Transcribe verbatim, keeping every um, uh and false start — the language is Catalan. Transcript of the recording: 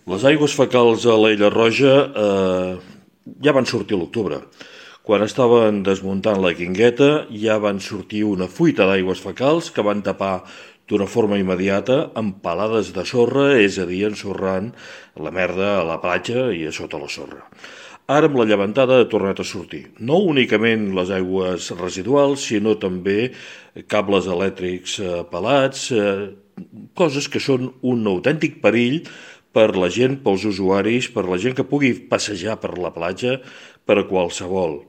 Les aigües fecals a l'Aiguilla Roja eh, ja van sortir a l'octubre. Quan estaven desmuntant la Guingueta ja van sortir una fuita d'aigües fecals que van tapar d'una forma immediata amb palades de sorra, és a dir, ensorrant la merda a la platja i a sota la sorra. Ara amb la llevantada ha tornat a sortir. No únicament les aigües residuals, sinó també cables elèctrics eh, pelats, eh, coses que són un autèntic perill per la gent, pels usuaris, per la gent que pugui passejar per la platja, per a qualsevol.